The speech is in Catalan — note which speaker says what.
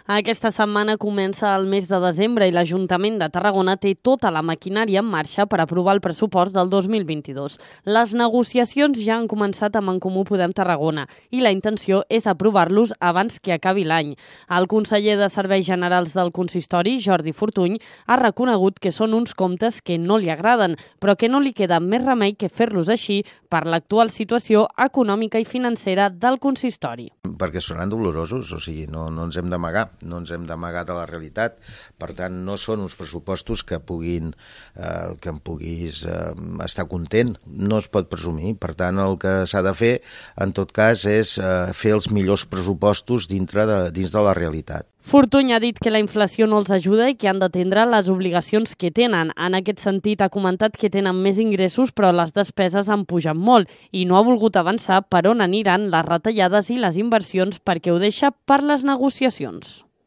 Speaker 1: Aquesta setmana comença el mes de desembre i l'Ajuntament de Tarragona té tota la maquinària en marxa per aprovar el pressupost del 2022. Les negociacions ja han començat amb En Comú Podem Tarragona i la intenció és aprovar-los abans que acabi l'any. El conseller de Serveis Generals del Consistori, Jordi Fortuny, ha reconegut que són uns comptes que no li agraden, però que no li queda més remei que fer-los així per l'actual situació econòmica i financera del consistori.
Speaker 2: Perquè seran dolorosos, o sigui, no ens hem d'amagar, no ens hem d'amagar de la realitat. Per tant, no són uns pressupostos que em puguis estar content. No es pot presumir. Per tant, el que s'ha de fer, en tot cas, és fer els millors pressupostos dins de la realitat.
Speaker 1: Fortuny ha dit que la inflació no els ajuda i que han d'atendre les obligacions que tenen. En aquest sentit, ha comentat que tenen més ingressos, però les despeses han pujat molt i no ha volgut avançar per on aniran les retallades i les inversions perquè ho deixa per les negociacions.